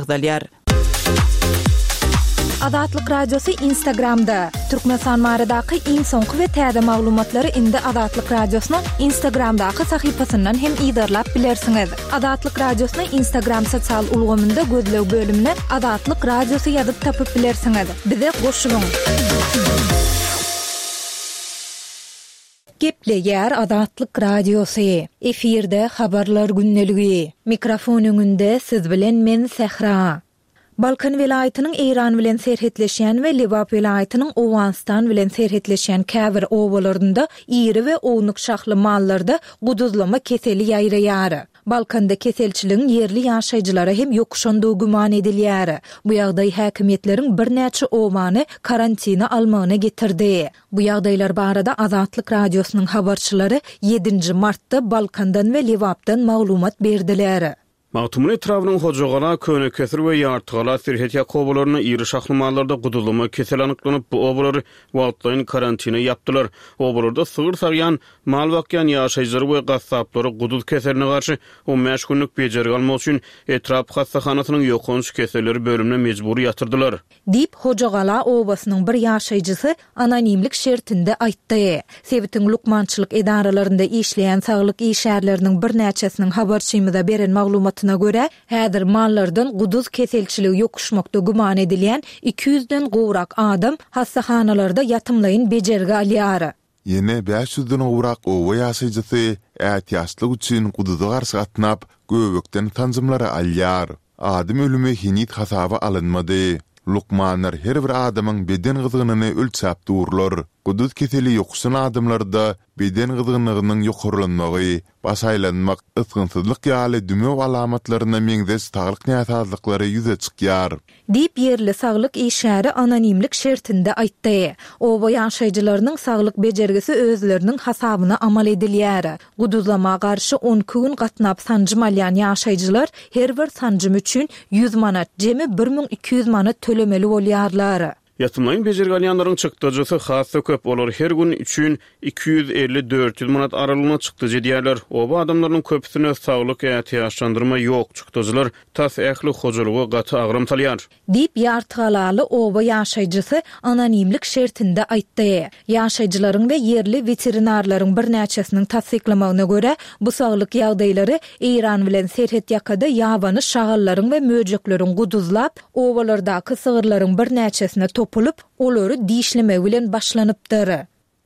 Agzalýar. Azatlyk Radiosy Instagramda, Türkmenistan baradaky iň soňky we täze maglumatlary indi Azatlyk Radiosynyň Instagramdaky sahypasyndan hem yzarlap bilersiňiz. Azatlyk Radiosyny Instagram sosial ulgamynda gözleg bölümine Azatlyk Radiosy ýazyp tapyp bilersiňiz. Bize goşulyň! Gepleýär Azatlyk Radiosy, efirde Habarlar gündeligi. Mikrofon öňünde siz bilen men Sähra. Balkan welaýatynyň Eýran bilen serhetleşýän we Lebap welaýatynyň Owganystan bilen serhetleşýän käbir obalarynda iri we ownuk şahly mallarda guduzlama keseli ýaýraýar. Balkanda keselçiligiň ýerli ýaşaýjylara hem ýokuşandygy güman edilýär. Bu ýagdaý häkimiýetleriň birnäçe obany karantina almagyna getirdi. Bu ýagdaýlar barada Azatlyk Radiosynyň habarçylary ýedinji martda Balkandan we Lebapdan maglumat berdiler. Magtymguly etrabynyň Hojagala, Könekesir we Ýartygala serhet ýaka obalarynda iri şahly mallarda guduzlama keseli anyklanyp, bu obalary wagtlaýyn karantina ýapdylar. Obalarda sygyr sagýan, mal bakýan ýaşaýjylary we gassaplary guduz keseline garşy 15 günlük bejergi almak üçin etrap hassahanasynyň ýokanç keselleri bölümine mejbury ýatyrdylar. Diýip, Hojagala obasynyň bir ýaşaýjysy anonimlik şertinde aýtdy. Sebitiň lukmançylyk edaralarynda işleýän saglyk işgärleriniň birnäçesiniň habarçymyza beren maglumatyna görä, häzir mallardan guduz keselçiligi ýokuşmakda güman edilýän 200-den gowrak adam hassahanalarda ýatymlaýyn bejergi alýar. Ýene bäş ýüzden gowrak oba ýaşaýjysy ätiýaçlyk üçin guduza garşy gatnap, göbekden sanjymlary alýar. Adam ölümi heniz hasaba alynmady. Lukmanlar her bir adamyň beden gyzgynyny ölçäp durlar. Guduz keseli ýokuşan adamlarda beden gyzgynlygynyň ýokarlanmagy, baş aýlanmak, ysgynsyzlyk ýaly dümew alamatlaryna meňzeş saglyk näsazlyklary ýüze çykýar. Diýip, ýerli saglyk işgäri anonimlik şertinde aýtdy. Oba ýaşaýjylarynyň saglyk bejergisi özleriniň hasabyna amal edilýär. Guduzlama garşy 12 gün gatnap sanjym alýan ýaşaýjylar her bir sanjym üçin ýüz manat, jemi 1200 manat tölemeli bolýarlar. Ýatymlaýyn bejergi alýanlaryň çykdajysy has-da köp, olar her gün üçin 250-400 manat aralygynda çykdajy edýärler. Oba adamlarynyň köpüsinde saglyk ätiýaçlandyrma ýok, çykdajylar tas ähli hojalyga gaty agram salýar. Diýip, ýartygalaly oba ýaşaýjysy anonimlik şertinde aýtdy. Ýaşaýjylaryň we ýerli weterinarlaryň birnäçesiniň tassyklamagyna görä, bu saglyk ýagdaýlary Eýran bilen serhetýakada ýabany şagallaryň we möjekleriň guduzlap, obalardaky sygyrlaryň birnäçesine topulyp, olary dişlemegi bilen başlanypdyr.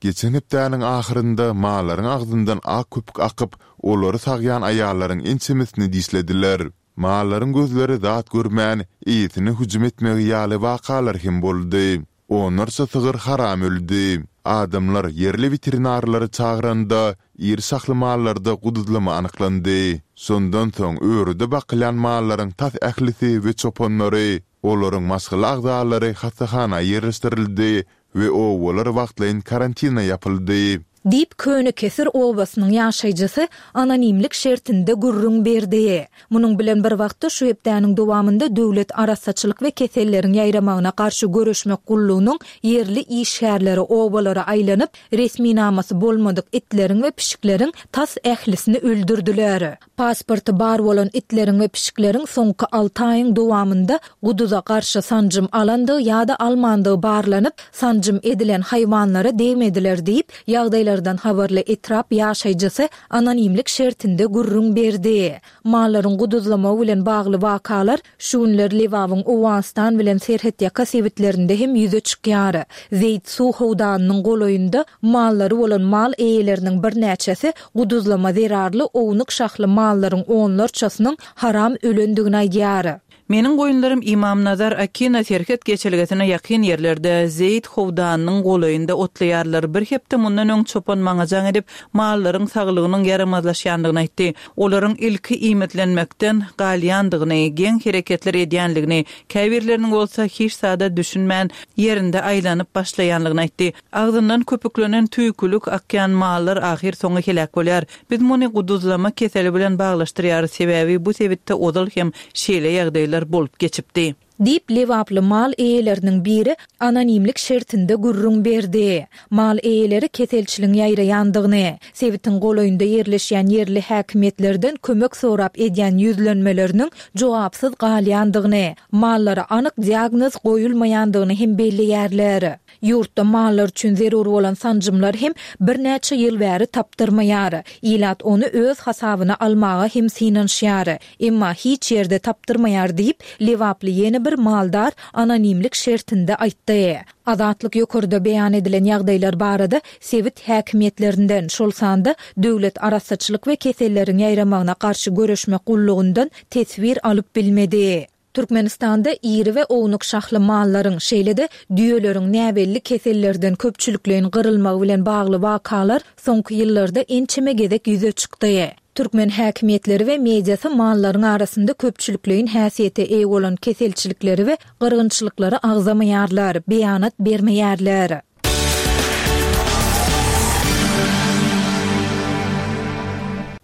Geçen hepdäniň ahyrynda mallaryň agzyndan ak köpük akyp, olary sagýan aýallaryň ençemesini dişlediler. Mallaryň gözleri zat görmän, eýesine hüjüm etmegi ýaly wakalar hem boldy. Onlarça sygyr haram öldi. Adamlar ýerli weterinarlary çagyranda, iri şahly mallarda guduzlama anyklandy. Şondan soň örüde bakylýan mallaryň tas ählisi we çopanlary, olaryň maşgala agzalary hassahana ýerleşdirildi we obalar wagtlaýyn karantina ýapyldy. Diýip, Könekesir obasynyň ýaşaýjysy anonimlik şertinde gürrüň berdi. Munuň bilen bir wagtda, şu hepdäniň dowamynda Döwlet arassaçylyk we keselleriň ýaýramagyna garşy göreşmek gullugynyň ýerli işgärleri obalara aýlanyp, resminamasy bolmadyk itleriň we pişikleriň tas ählisini öldürdiler. Pasporty bar bolan itleriň we pişikleriň soňky alty aýyň dowamynda guduza garşy sanjym alandygy ýa-da almandygy barlanyp, sanjym edilen haýwanlara degmediler diýip, ýagdaýlardan habarly etrap ýaşaýjysy anonimlik şertinde gürrüň berdi. Mallaryň guduzlamagy bilen bagly wakalar Şu günler Lebabyň Owganystan bilen serhetýaka sebitlerinde hem ýüze çykýar. Zeýt suw howdanynyň golaýynda mallary bolan mal eýeleriniň birnäçesi guduzlama zerarly ownuk şahly mallaryň onlarçasynyň haram ölendigini aýdýar. Meniň goýunlarym Ymamnazar Akina serhet geçelgesine ýakyn ýerlerde, Zeýt howdanynyň golaýynda otlaýarlar. Bir hepde mundan öň çopan maňa jaň edip, mallaryň saglygynyň ýaramazlaşýandygyny aýtdy. Olaryň ilki iýmitlenmekden galýandygyny, geň hereketler edýändigini, käbirleriniň bolsa hiç zada düşünmän, ýerinde aýlanyp başlaýanlygyny aýtdy. Agzyndan köpüklenen tüýkülik akýan mallar ahyrsoňy heläk bolýar. Biz muny guduzlama keseli bilen baglaşdyrýarys, sebäbi bu sebitde ozal hem şeýle ýagdaýlar bolup geçipdi. Diýip, lebaply mal eýeleriniň biri anonimlik şertinde gürrüň berdi. Mal eýeleri keselçiligiň ýaýraýandygyny, sebitiň golaýynda ýerleşýän ýerli häkimiýetlerden kömek sorap edýän ýüzlenmeleriniň jogapsyz galýandygyny, mallara anyk diagnoz goýulmaýandygyny hem belleýärler. Ýurtda mallar üçin zerur bolan sanjymlar hem birnäçe ýyl bäri tapdyrmaýar. Ilat ony öz hasabyna almaga hem synanyşýar. Emma hiç ýerde tapdyrmaýar diýip, lebaply ýene bir maldar anonimlik şertinde aýtdy. Azatlyk ýokarda beýan edilen ýagdaýlar barada sebit häkimiýetlerinden, şol sanda Döwlet arassaçylyk we keselleriň ýaýramagyna garşy göreşmek gullugyndan teswir alyp bilmedi. Türkmenistanda iri we ownuk şahly mallaryň, şeýle-de düýeleriň näbelli kesellerden köpçülikleýin gyrylmagy bilen bagly wakalar soňky ýyllarda ençeme gezek ýüze çykdy. Türkmen häkimiýetleri we mediasy mallaryň arasynda köpçülikleýin häsiýete eýe bolan keselçilikleri we gyrgynçylyklary agzamaýarlar, beýanat bermeýärler.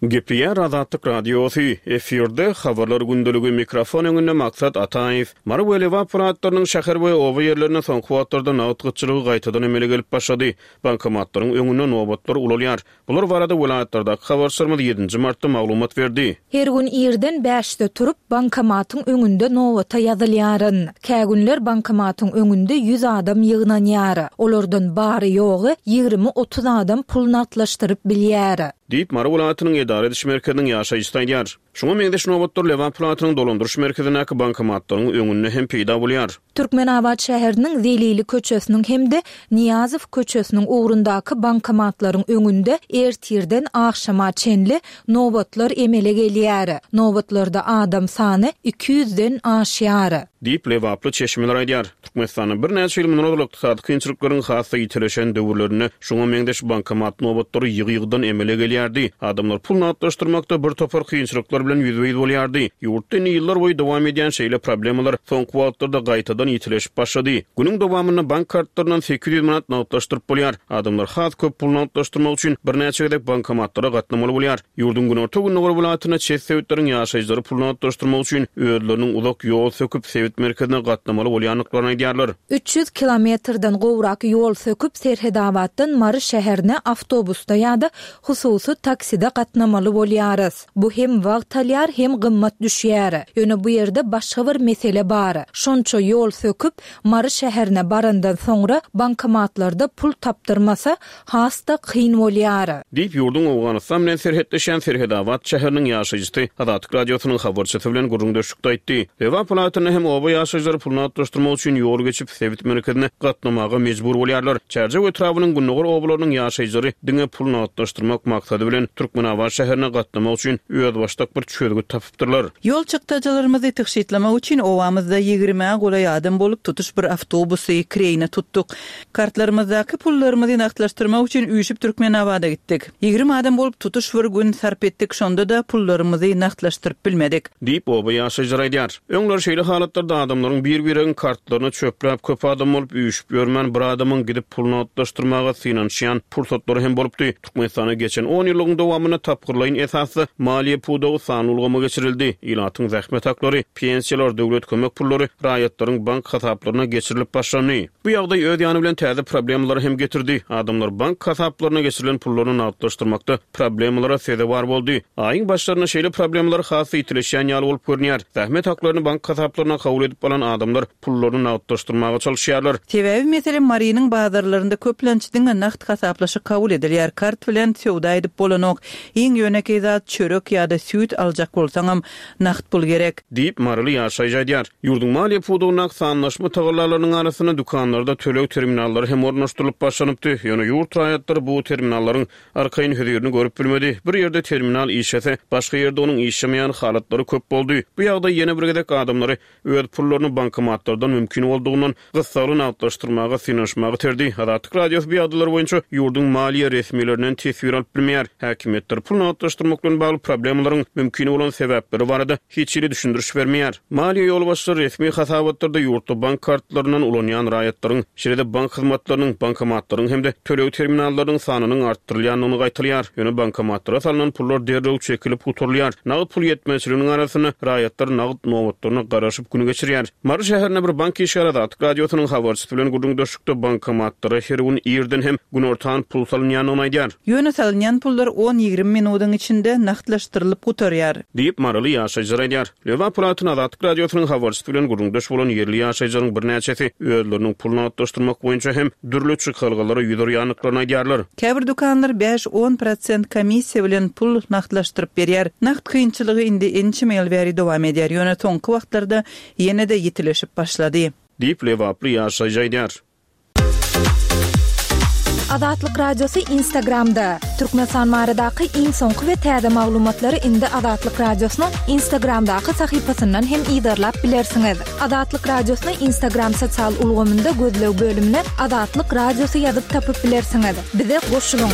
Gepleýär Azatlyk Radiosy, efirde Habarlar gündeligi, mikrofon öňünde Maksat Ataýew. Mary we Lebap welaýatlarynyň şäher we oba ýerlerinde soňky wagtlarda nagt gytçylygy gaýtadan emele gelip başlady. Bankomatlaryň öňünde nobatlar ulalýar. Bular barada welaýatlardaky habarçylarymyz ýedinji martda maglumat berdi. Her gün irden bäşde turup, bankomatyň öňünde nobata ýazylýaryn. Kä günler bankomatyň öňünde ýüz adam ýygnanýar. Olardan bary-ýogy ýigrimi-otuz adam pul nagtlaşdyryp bilýär. Diýip, Mary welaýatynyň edara ediş merkeziniň ýaşaýjysy aýdýar. Şuňa meňzeş nobatlar Lebap welaýatynyň dolandyryş merkezindäki bankomatlaryň öňünde hem peýda bolýar. Türkmenabat şäheriniň Zelili köçesiniň hem-de Nyýazow köçesiniň ugrundaky bankomatlaryň öňünde ertirden agşama çenli nobatlar emele gelýär. Nobatlarda adam sany 200-den aşýar. Diýip, lebaply çeşmeler aýdýar. Türkmenistanda birnäçe ýyl mundan ozal ykdysady kynçylyklaryň has-da ýitileşen döwürlerinde şuňa meňzeş bankomat nobatlary ýygy-ýygydan emele gelýärdi. Adamlar pul nagtlaşdyrmakda bir topar kynçylyklar bilen ýüzbe-ýüz bolýardy. Ýurtda indi ýyllar boýy dowam edýän şeýle problemalar soňky wagtlarda gaýtadan ýitileşip başlady. Günüň dowamynda bank kartlaryndan 800 manat nagtlaşdyryp bolýar. Adamlar has köp pul nagtlaşdyrmak üçin birnäçe gezek bankomatlara gatnamaly bolýar. Ýurduň günorta-gündogar welaýatynda çet sebitleriň ýaşaýjylary pul nagtlaşdyrmak üçin özleriniň uzak ýol söküp, sebit merkezine gatnamaly bolýandyklaryny aýdýarlar. 300 kilometrden gowrak ýol söküp, Serhedabatdan Mary şäherine awtobusda ýa-da hususy takside gatnamaly bolýarys. Bu hem wagt alýar, hem gymmat düşýär. Ýöne bu ýerde başga bir mesele bar. Şonça ýol söküp, Mary şäherine barandan soňra bankomatlarda pul tapdyrmasa, has-da kyn bolýar. Diýip, ýurduň Owganystan bilen serhetleşýän Serhedabat şäheriniň ýaşaýjysy Azatlyk Radiosynyň habarçysy bilen gürrüňdeşlikde aýtdy. Lebap welaýatynda hem oba ýaşaýjylary pul nagtlaşdyrmak üçin ýol geçip, sebit merkezine gatnamaga mejbur bolýarlar. Çärjew etrabynyň gündogar obalarynyň ýaşaýjylary diňe pul nagtlaşdyrmak maksady bilen Türkmenabat şäherine gatnamak üçin özbaşdak bir çözgüt tapypdyrlar. Ýol çykdajylarymyzy tygşytlamak üçin obamyzda ýigrimä golaý adam bolup tutuş bir awtobusy kireýine tutduk. Kartlarymyzdaky pullarymyzy nagtlaşdyrmak üçin üýşüp Türkmenabada gitdik. 20 adam bolup tutuş bir gün sarp etdik, şonda-da pullarymyzy nagtlaşdyryp bilmedik. Diýip, oba ýaşaýjylary aýdýar. Öňler şeýle halatlarda adamlaryň bir-biregiň kartlaryny çöpläp köp adam bolup üýşüp ýörmän bir adamyň gidip pul nagtlaşdyrmaga synanyşýan pursatlary hem bolupdy. Türkmenistanda geçen on ýyllygyň dowamynda tapgyrlaýyn esasda maliýe pudagy sanly ulgama geçirildi. Ilatyň zähmet haklary, pensiýalar, döwlet kömek pullary raýatlaryň bank hasaplaryna geçirilip başlandy. Bu ýagdaý öz ýany bilen täze problemalary hem getirdi. Adamlar bank hasaplaryna geçirilen pullaryny nagtlaşdyrmakda problemalara sezewar boldy. Aýyň başlarynda şeýle problemalar has-da ýitileşýän ýaly bolup görünýär. Zähmet haklaryny bank hasaplaryna kabul edip alan adamlar pullaryny nagtlaşdyrmaga çalyşýarlar. Sebäbi, meselem, Marynyň bazarlarynda köplenç diňe nagt hasaplaşyk kabul edilýär, kart bilen söwda edip bolanok. Iň ýönekeý zat, çörek ýa-da süýt aljak bolsaňam, nagt pul gerek. Diýip, maryly ýaşaýjy aýdýar. Ýurduň maliýe pudagyndaky sanlaşma tagallalarynyň arasynda dükanlarda töleg terminallary hem ornaşdyrylyp başlanypdy. Ýöne ýurt raýatlary bu terminallaryň arkaýyn hözirini görüp bilmedi. Bir ýerde terminal işlese, başga ýerde onuň işlemeýän halatlary köp boldy. Bu ýagdaý ýene bir gezek adamlary öz pullaryny bankomatlardan mümkin boldugyndan gyssagly nagtlaşdyrmaga synanyşmaga iterdi. Azatlyk Radiosy bu ýagdaýlar boýunça ýurduň maliýe resmilerinden teswir alyp bilmeýär. Häkimiýetler pul nagtlaşdyrmak bilen bagly problemalaryň mümkin bolan sebäpleri barada hiç hili düşündiriş bermeýär. Maliýe ýolbaşçylary resmi hasabatlarda ýurtda bank kartlaryndan ulanýan raýatlaryň, şeýle-de bank hyzmatlarynyň, bankomatlaryň hem-de töleg terminallarynyň sanynyň artdyrylýandygyny gaýtalaýar. Ýöne bankomatlara salnan pullar derrew çekilip gutarylýar. Nagt pul ýetmezçiliginiň arasynda raýatlar nagt nobatlaryna garaşyp gün geçirýär. geçirýär. Mary şäherinde bir bank işgäri Azatlyk Radiosynyň habarçysy bilen gürrüňdeşlikde bankomatlara her gün irden hem günortan pul salynýandygyny aýdýar. Ýöne salynýan pullar on-ýigrimi minudyň içinde nagtlaşdyrylyp gutarýar. Diýip, maryly ýaşaýjylar aýdýar. Lebap welaýatynda Azatlyk Radiosynyň habarçysy bilen gürrüňdeş bolan ýerli ýaşaýjylaryň birnäçesi özleriniň pul nagtlaşdyrmak boýunça hem dürli çykalgalara ýüz urýandyklaryny aýdýarlar. Käbir dükanlar bäş-on prosent komissiýa bilen pul nagtlaşdyryp berýär. Nagt kynçylygy indi ençeme ýyl bäri dowam edýär, ýöne soňky wagtlarda ýene-de ýitileşip başlady. Diýip, lebaply ýaşaýjy aýdýar. Azatlyk Radiosy Instagramda, Türkmenistan baradaky iň soňky we täze maglumatlary indi Azatlyk Radiosynyň Instagramdaky sahypasyndan hem yzarlap bilersiňiz. Azatlyk Radiosyny Instagram sosial ulgamynda gözleg bölümine Azatlyk Radiosy ýazyp tapyp bilersiňiz. Bize goşulyň!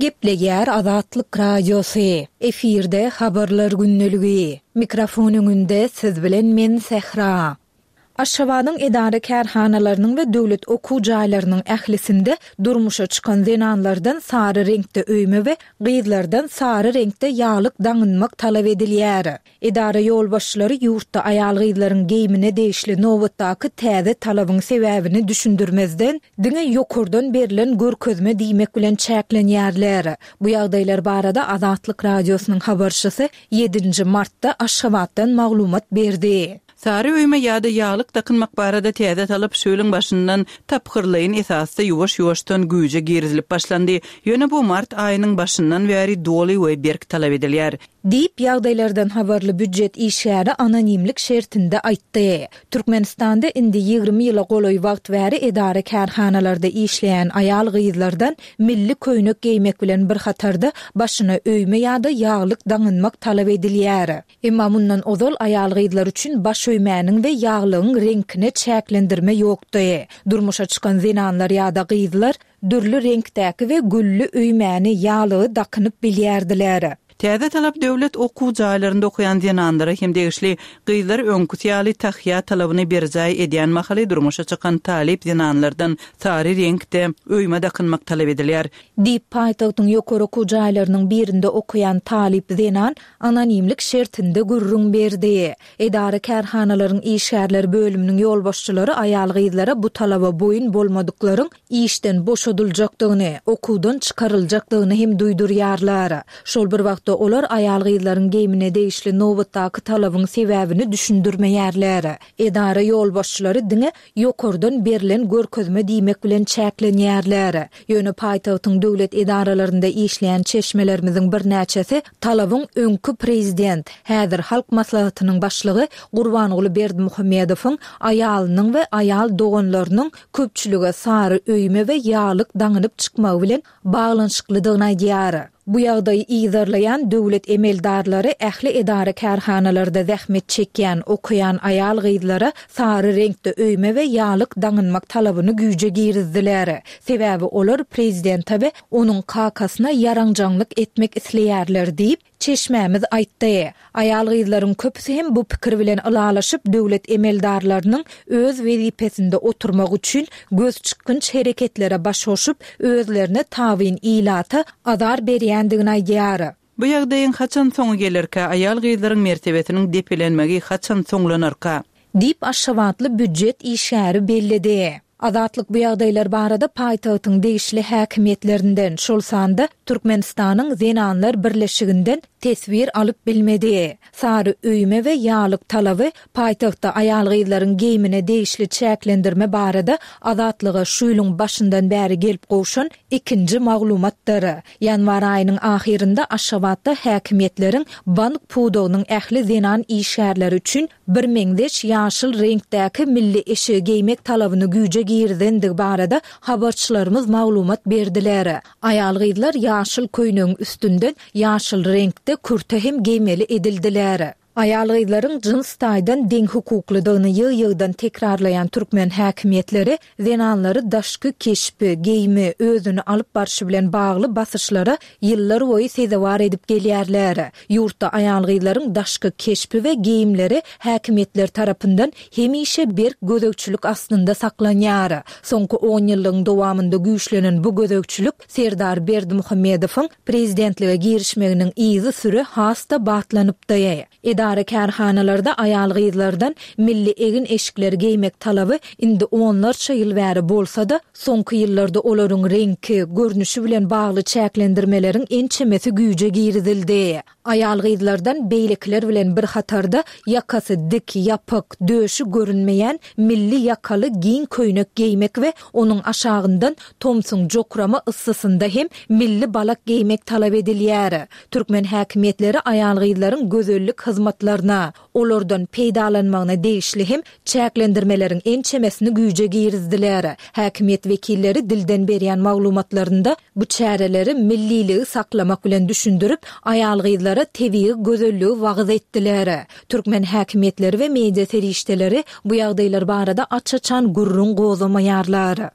Gepleýär Azatlyk Radiosy, efirde Habarlar gündeligi. Mikrofon öňünde siz bilen men Sähra. Aşgabadyň edara-kärhanalarynyň we döwlet okuw jaýlarynyň ählisinde durmuşa çykan zenanlardan sary reňkde öýme we gyzlardan sary reňkde ýaglyk daňynmak talap edilýär. Edara ýolbaşçylary ýurtda aýal-gyzlaryň geýimine degişli nobatdaky täze talabyň sebäbini düşündirmezden, diňe ýokardan berlen görkezme diýmek bilen çäklenýärler. Bu ýagdaýlar barada Azatlyk Radiosynyň habarçysy ýedinji martda Aşgabatdan maglumat berdi. Sary öýme ýa-da ýaglyk dakynmak barada täze talap şu ýylyň başyndan tapgyrlaýyn esasda ýuwaş-ýuwaşdan güýje girizilip başlandy. Ýöne bu mart aýynyň başyndan bäri doly we berk talap edilýär. Diýip, ýagdaýlardan habarly býujet işgäri anonimlik şertinde aýtdy. Türkmenistanda indi 20 ýyla golaý wagt bäri edara-kärhanalarda işleýän aýal-gyzlardan milli köýnek geýmek bilen bir hatarda başyna öýme ýa-da ýaglyk daňynmak talap edilýär. Emma mundan ozal aýal-gyzlar üçin baş öýmäniň we ýaglygyň reňkine çäklendirme ýokdy. Durmuşa çykan zenanlar ýa-da gyzlar dürli reňkdäki we gülli öýmäni, ýaglygy dakynyp bilýärdiler. Täze talap döwlet okuw jaýlarynda okaýan zenanlara hem degişli. Gyzlar öňküsi ýaly tahýa talabyny berjaý edýän mahaly durmuşa çykan talyp zenanlardan sary reňkde öýme dakynmak talap edilýär. Diýip, paýtagtyň ýokary okuw jaýlarynyň birinde okaýan talyp zenan anonimlik şertinde gürrüň berdi. Edara-kärhanalaryň işgärler bölüminiň ýolbaşçylary aýal-gyzlara bu talaba boýun bolmadyklaryň işden boşadyljakdygyny, okuwdan çykaryljakdygyny hem duýdurýarlar. Şol bir wagtda olar aýal-gyzlaryň geýmine degişli nobatdaky talabyň sebäbini düşündirmeýärler. Edara ýolbaşçylary diňe ýokardan berlen görkezme diýmek bilen çäklenýärler. Ýöne paýtagtyň döwlet edaralarynda işleýän çeşmelerimiziň birnäçesi talabyň öňki prezident, häzir Halk Maslahatynyň başlygy Gurbanguly Berdimuhamedowyň aýalynyň we aýal doganlarynyň köpçülige sary öýme we ýaglyk daňynyp çykmagy bilen baglanyşyklydygyny aýdýar. Bu ýagdaýy yzarlaýan döwlet emeldarlary ähli edara-kärhanalarda zähmet çekýän, okaýan aýal-gyzlara sary reňkde öýme we ýaglyk daňynmak talabyny güýje girizdiler. Sebäbi olar prezidente we onuň kakasyna ýaranjaňlyk etmek isleýärler diýip, çeşmämiz aýtdy. Aýal-gyzlaryň köpüsi hem bu pikir bilen ylalaşyp, döwlet emeldarlarynyň öz wezipesinde oturmak üçin gözçykgynç hereketlere baş goşup, özlerine tabyn ilata azar berýändigini aýdýar. Bu ýagdaýyň haçan soňy gelerkä, aýal-gyzlaryň mertebesiniň depelenmegi haçan soňlanarka? Diýip, aşgabatly býujet işgäri belledi. Azatlyk bu ýagdaýlar barada paýtagtyň degişli häkimiýetlerinden, şol sanda Türkmenistanyň Zenanlar birleşiginden teswir alyp bilmedi. Sary öýme we ýaglyk talaby paýtagtda aýal-gyzlaryň geýmine degişli çäklendirme barada Azatlyga şu ýylyň başyndan bäri gelip gowşan ikinji maglumatdyr. Ýanwar aýynyň ahyrynda Aşgabatda häkimiýetleriň bank pudagynyň ähli zenan işgärleri üçin birmeňzeş ýaşyl reňkdäki milli eşigi geýmek talabyny güýje girizendigi barada habarçylarymyz maglumat berdiler. Aýal-gyzlar ýaşyl köýnegiň üstünden ýaşyl reňkde kürte hem geýmeli edildiler. Aýal-gyzlaryň jyns taýdan deňhukuklydygyny ýygy-ýygydan tekrarlaýan türkmen häkimiýetleri zenanlary daşky keşbi, geýimi, özüni alyp barşy bilen bagly basyşlara ýyllarboýy sezewar edip gelýärler. Ýurtda aýal-gyzlaryň daşky keşbi we geýimleri häkimiýetler tarapyndan hemişe berk gözegçilik astynda saklanýar. Soňky onýyllygyň dowamynda güýçlenen bu gözegçilik Serdar Berdimuhamedowyň prezidentlige girişmeginiň yzysüre has-da batlanypdy. Edara-kärhanalarda aýal-gyzlardan milli egin-eşikleri geýmek talaby indi onlarça ýyl bäri bolsa-da, soňky ýyllarda olaryň reňki, görnüşi bilen bagly çäklendirmeleriň ençemesi güýje girizildi. Aýal-gyzlardan beýlekiler bilen bir hatarda ýakasy dik, ýapyk, döşi görünmeýän milli ýakaly giň köýnek geýmek we onuň aşagyndan tomsuň jokrama yssysynda hem milli balak geýmek talap edilýär. Türkmen häkimiýetleri aýal-gyzlaryň gözellik hyzmatlaryna, olardan peýdalanmagyna degişli hem çäklendirmeleriň ençemesini güýje girizdiler. Häkimiýet wekilleri dilden berýän maglumatlarynda bu çäreleri milliligi saklamak bilen düşündirip, aýal-gyzlara tebigy gözelligi wagyz etdiler. Türkmen häkimiýetleri we media serişdeleri bu ýagdaýlar barada aç-açan gürrüň gozgamaýarlar.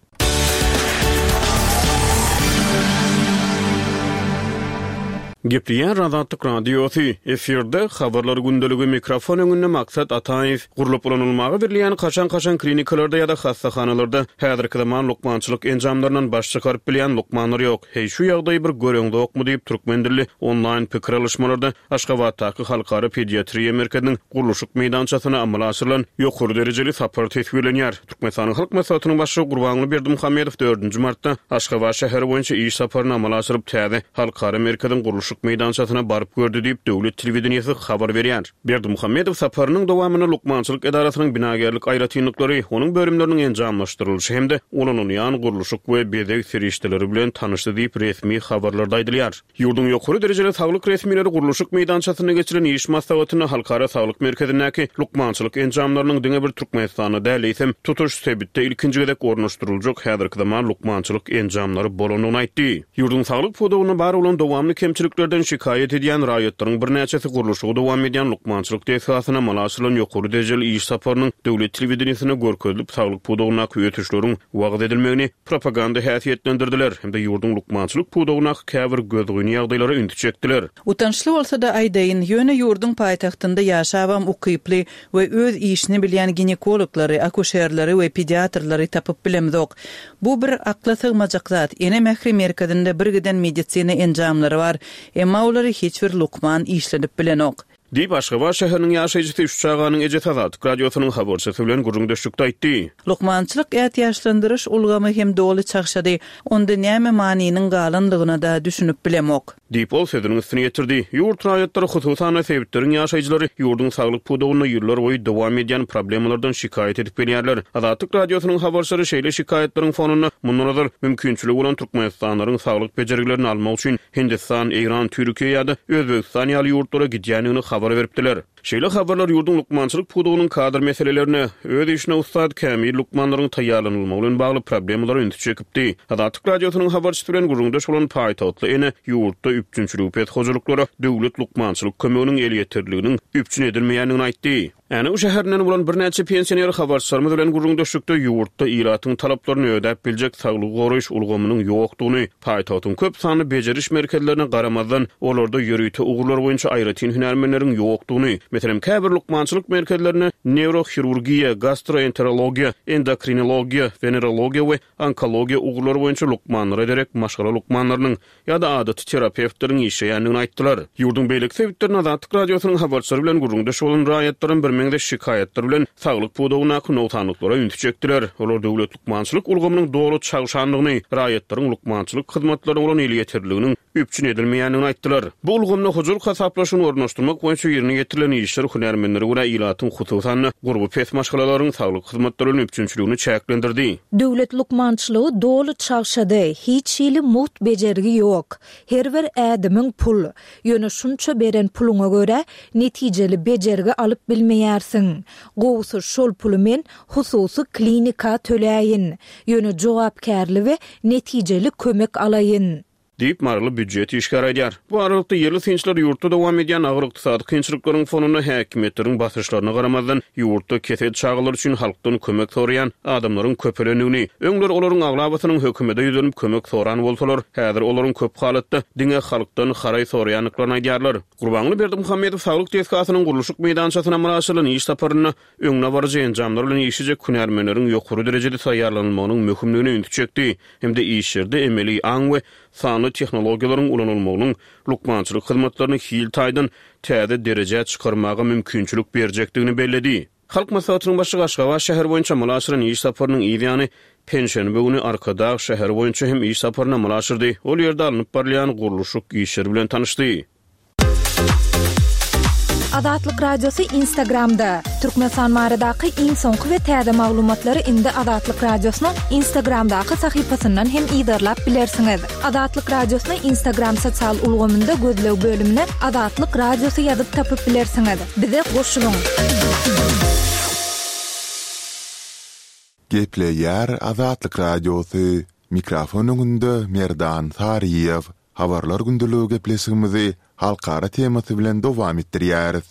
Gepleýär Azatlyk Radiosy, efirde Habarlar gündeligi, mikrofon öňünde Maksat Ataýew. Gurlup ulanylmaga berilýän kaşaň-kaşaň klinikalarda ýa-da hassahanalarda häzirki zaman lukmançylyk enjamlaryndan baş çykaryp bilýän lukmanlar ýok. Heý, şu ýagdaýy bir göreňzokmy diýip, türkmen dilli onlaýn pikir alyşmalarda Aşgabatdaky Halkara pediatriýa merkeziniň gurluşyk meýdançasyna amala aşyrylan ýokary derejeli sapar teswirlenýär. Türkmenistanyň Halk Maslahatynyň Başlygy Gurbanguly Berdimuhamedow dördünji martda Aşgabat şäheri boýunça iş saparyny amala aşyryp, täze Halkara merkeziň gurluşyk meýdançasyna baryp gördi diýip, döwlet telewideniýesi habar berýär. Berdimuhamedow saparynyň dowamynda lukmançylyk edarasynyň binagärlik aýratynlyklary, onuň bölümleriniň enjamlaşdyrylyşy hem-de ulanylýan gurluşyk we bezeg serişdeleri bilen tanyşdy diýip, resmi habarlarda aýdylýar. Ýurduň ýokary derejeli saglyk resmileri gurluşyk meýdançasynda geçiren iş maslahatynda Halkara saglyk merkezindäki lukmançylyk enjamlarynyň diňe bir Türkmenistanda däl, eýsem, tutuş sebitde ilkinji gezek ornaşdyryljak häzirki zaman lukmançylyk enjamlary bolandygyny aýtdy. Ýurduň saglyk pudagynda bar bolan dowamly kemçiliklerden şikaýat edýän raýatlaryň birnäçesi gurluşygy dowam edýän lukmançylyk desgasyna amala aşyrylan ýokary derejeli iş saparynyň döwlet telewideniýesinde görkezilip, saglyk pudagyndaky ösüşleriň wagyz edilmegini propaganda häsiýetlendirdiler hem-de ýurduň lukmançylyk pudagyndaky käbir gözgyny ýagdaýlara ünsi çekdiler. Utançly bolsa-da aýdaýyn, ýöne ýurduň paýtagtynda ýaşabam ukyply we öz işini bilýän ginekologlary, akuşerleri we pediatrlary tapyp bilemzok. Bu bir akla sygmajak zat, Ene mähri merkezinde birgiden medisina enjamlary bar, emma olary hiç bir lukman işledip bilenok. Diýip, Aşgabat şäheriniň ýaşaýjysy, üç çaganyň ejesi Azatlyk Radiosynyň habarçysy bilen gürrüňdeşlikde aýtdy. Lukmançylyk ätiýaçlandyryş ulgamy hem doly çagşady. Onda näme manynyň galandygyna-da düşünip bilemok. Diýip, ol sözüniň üstüni ýetirdi. Ýurt raýatlary, hususan-da, sebitleriň ýaşaýjylary ýurduň saglyk pudagynda ýyllarboýy dowam edýän problemalardan şikaýat edip gelýärler. Azatlyk Radiosynyň habarçylary şeýle şikaýatlaryň fonunda mundan ozal mümkinçiligi bolan türkmenistanlylaryň saglyk bejergilerini almak üçin Hindistan, Eýran, Türkiýe ýa-da Özbegistan ýaly ýurtlara gidýändigini habar beripdiler. Şeýle habarlar ýurduň lukmançylyk pudagynyň kadr meselelerine, öz işine ussat, kämil lukmanlaryň taýýarlanylmagy bilen bagly problemalara ünsi çekipdi. Azatlyk Radiosynyň habarçysy bilen gürrüňdeş bolan paýtagtly ene ýurtda üpjünçiligi pes hojalyklara döwlet lukmançylyk kömeginiň elýeterliliginiň üpjün edilmeýändigini aýtdy. Änew şäherinden bolan birnäçe pensioner habarçylarymyz bilen gürrüňdeşlikde ýurtda ilatyň talaplaryny ödäp biljek saglygy goraýyş ulgamynyň ýokdugyny, paýtagtyň köp sanly bejeriş merkezlerine garamazdan, olarda ýörite ugurlar boýunça aýratyn hünärmenleriň ýokdugyny, meselem, käbir lukmançylyk merkezlerinde neýrohirurgiýa, gastroenterologiýa, endokrinologiýa, wenerologiýa we onkologiýa ugurlary boýunça lukmanlara derek maşgala lukmanlarynyň ýa-da adaty terapewtleriň işleýändigini aýtdylar. Ýurduň beýleki sebitlerinde Azatlyk Radiosynyň habarçylary bilen gürrüňdeş bolan raýatlaram birmeňzeş şikaýatlar bilen saglyk pudagyndaky nogsanlyklara ünsi çekdiler. Olar döwlet lukmançylyk ulgamynyň doly çagşandygyny, raýatlaryň lukmançylyk hyzmatlaryna bolan elýeterliliginiň üpjün edilmeýändigini aýtdylar. Bu ulgamda hojalyk hasaplaşygyny ornaşdyrmak boýunça ýerine ýetirilen işler hünärmenlere görä ilatyň, hususan-da, gurby pes maşgalalaryň saglyk hyzmatlary bilen üpjünçiligini çäklendirdi. Döwlet lukmançylygy doly çagşady, hiç hili mugt bejergi ýok. Her bir ädimiň pul. Ýöne şunça beren puluňa görä, netijeli bejergi alyp bilmeýärsiň. Gowusy şol puly men hususy klinika töläýin. Ýöne jogapkärli we netijeli kömek alaýyn. Diýip, maryly býujet işgäri aýdýar. Bu aralykda, ýerli synçylar ýurtda dowam edýän agyr ykdysady kynçylyklaryň fonunda häkimiýetleriň basyşlaryna garamazdan, ýurtda kesel çagalar üçin halkdan kömek soraýan adamlaryň köpelendigini, öňler olaryň aglabasynyň hökümete ýüzlenip kömek soran bolsalar, häzir olaryň köp halatda diňe halkdan haraý soraýandyklaryny aýdýarlar. Gurbanguly Berdimuhamedow saglyk desgasynyň gurluşyk meýdançasyna amala aşyrylan iş saparynda öňdebaryjy enjamlar bilen işlejek hünärmenleriň ýokary derejede taýýarlanylmagynyň möhümdigine ünsi çekdi hem-de işlerde emeli aň we sanly tehnologiýalaryň ulanylmagynyň lukmançylyk hyzmatlaryny hil taýdan täze derejä çykarmaga mümkinçilik berjekdigini belledi. Halk Maslahatynyň Başlygy Aşgabat şäheri boýunça amala aşyran iş saparynyň yz ýany, penşenbe güni Arkadag şäheri boýunça hem iş saparyny amala aşyrdy, ol ýerde alnyp barylýan gurluşyk işleri bilen tanyşdy. Azatlyk Radiosy Instagramda, Türkmenistan baradaky iň soňky we täze maglumatlary indi Azatlyk Radiosynyň Instagramdaky sahypasyndan hem yzarlap bilersiňiz. Azatlyk Radiosyny Instagram sosial ulgamynda gözleg bölümine Azatlyk Radiosy ýazyp tapyp bilersiňiz. Bize goşulyň! Gepleýär Azatlyk Radiosy, Mikrofon öňünde Merdan Saryýew. Habarlar gündeligi gepleşigimizi halkara temasy bilen dowam etdirýäris.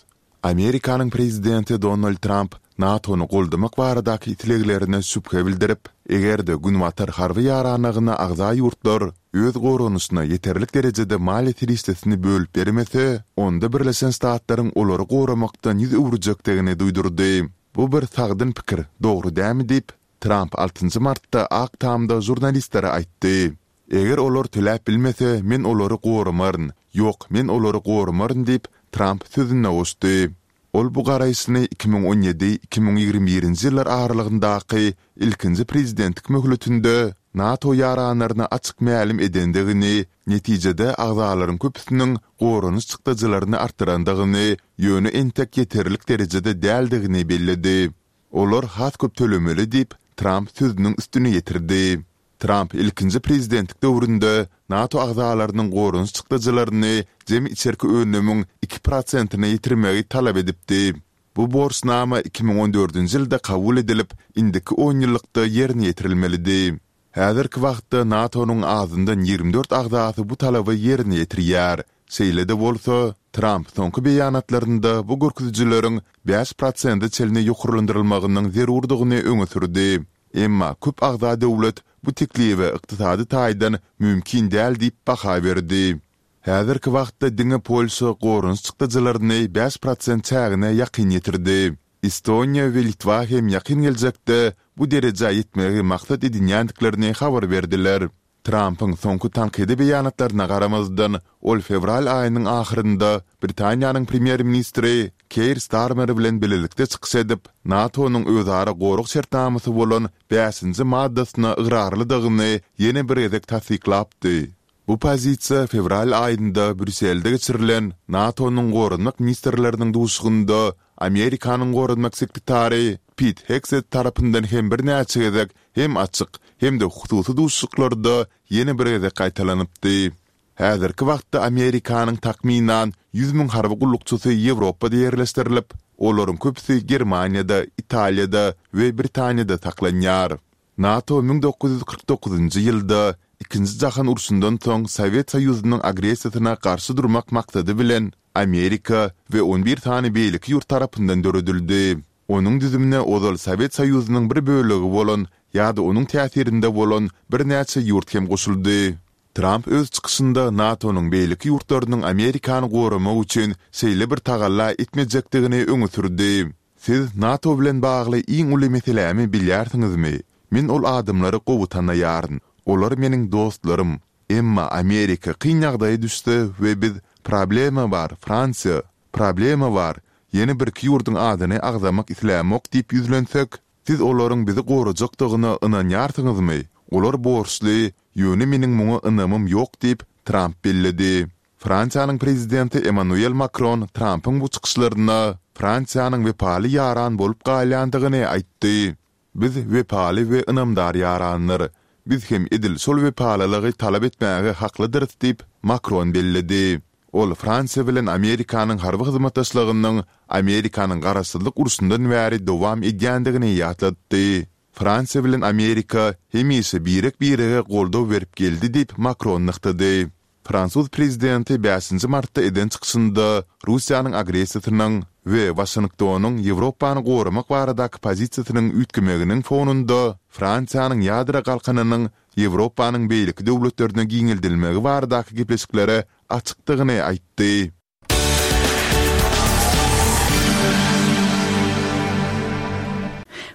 Amerikanyň prezidenti Donald Tramp NATO-ny goldamak baradaky isleglerine şübhe bildirip, eger-de Günbatar harby ýaranlygyna agza ýurtlar öz goranyşyna ýeterlik derejede maliýe serişdesini bölüp bermese, onda Birleşen Ştatlaryň olary goramakdan ýüz öwürjekdigini duýdurdy. Bu bir sagdyn pikir, dogry dämi diýip, Tramp altynjy martda Ak Tamda žurnalistlere aýtdy. Eger olar töläp bilmese, men olary goramaryn. Ýok, men olary goramaryn diýip, Tramp sözüne goşdy. Ol bu garaýşyny 2017, 2021-nji ýyllar aralygyndaky ilkinji prezidentlik möhletinde NATO ýaranlaryna açyk mälim edendigini, netijede agzalaryň köpüsiniň goranyş çykdajylaryny artdyrandygyny, ýöne entek ýeterlik derejede däldigini belledi. Olar has köp tölemeli diýip, Tramp sözüniň üstüni ýetirdi. Tramp ilkinji prezidentlik döwründe NATO agzalarynyň goranyş çykdajylaryny jemi içerki önümiň iki prosentine ýetirmegi talap edipdi. Bu borçnama 2014-nji ýylda kabul edilip, indiki onýyllykda ýerine ýetirilmelidi. Häzirki wagtda NATO-nyň azyndan 24 agzasy bu talaby ýerine ýetirýär. Şeýle-de bolsa, Tramp soňky beýanatlarynda bu görkezijileriň bäş prosente çenli ýokarlandyrylmagynyň zerurdygyny öňe sürdi. Emma köp agza döwlet bu teklibe ykdysady taýdan mümkin däl diýip baha berdi. Häzirki wagtda diňe Polşa goranyş çykdajylaryny 5% çägine ýakyn ýetirdi. Estoniýa we Litwa hem ýakyn geljekde bu derejä ýetmegi maksat edinýändiklerini habar berdiler. Trampyň soňky tankydy beýanatlaryna garamazdan, ol fewral aýynyň ahyrynda Britaniýanyň premýer-ministri Keir Starmer bilen bilelikde çykyş edip, NATO-nyň özara gorag şertnamasy bolan bäşinji maddasyna ygrarlydygyny ýene bir gezek tassyklapdy. Bu pozisiýa fewral aýynda Brýusselde geçirilen NATO-nyň goranmak ministrleriniň duşuşygynda Amerikanyň goranmak sekretary Pit Hegset tarapyndan hem birnäçe gezek hem açyk, hem-de hususy duşuşyklarda ýene bir gezek gaýtalanypdy. Häzirki wagtda Amerikanyň takmynan 100 müň harby gullukçysy Ýewropada ýerleşdirilip, olaryň köpüsi Germaniýada, Italiýada we Britaniýada saklanýar. NATO 1949-njy ýylda Ikinji jahan urşundan soň Sowet Soýuzynyň agressiýasyna garşy durmak maksady bilen Amerika we on bir sany beýleki ýurt tarapyndan döredildi. Onuň düzümine ozal Sowet Soýuzynyň bir bölegi bolan ýa-da onuň täsirinde bolan birnäçe ýurt hem goşuldy. Tramp öz çykyşynda NATO-nyň beýleki ýurtlarynyň Amerikany goramak üçin şeýle bir tagalla etmejekdigini öňe sürdi. Siz NATO bilen bagly iň uly meselämi bilýärsiňizmi? Men ol adamlary gowy tanaýaryn. Olar meniň dostlarym. Emma Amerika kyn ýagdaýa düşse we biz Problema bar, Fransiýa! Problema bar, ýene birki ýurduň adyny agzamak islämok diýip ýüzlensek, siz olaryň bizi gorajakdygyna ynanýarsyňyzmy? Olar borçly, ýöne meniň muňa ynamym ýok diýip, Tramp belledi. Fransiýanyň prezidenti Emmanuel Makron Trampyň bu çykyşlaryna Fransiýanyň wepaly ýaran bolup galýandygyny aýtdy. Biz wepaly we ynamdar ýaranlar. Biz hem edil şol wepalylygy talap etmäge haklydyrys diýip, Makron belledi. Ol Fransiýa bilen Amerikanyň harby hyzmatdaşlygynyň Amerikanyň Garaşsyzlyk urşundan bäri dowam edýändigini ýatlatdy. Fransiýa bilen Amerika hemişe birek-birege goldaw berip geldi diýip, Makron nygtady. Fransuz prezidenti bäşinji martda eden çykyşynda Russiýanyň agressiýasynyň we Waşingtonyň Ýewropany goramak baradaky pozisiýasynyň üýtgemeginiň fonunda Fransiýanyň ýadro galkanynyň Ýewropanyň beýleki döwletlerine giňeldilmegi baradaky gepleşiklere açykdygyny aýtdy.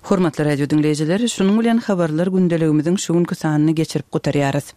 Hormatly radio diňleýjiler, şunuň bilen habarlar gündeligimiziň şu günki sanyny geçirip gutarýarys.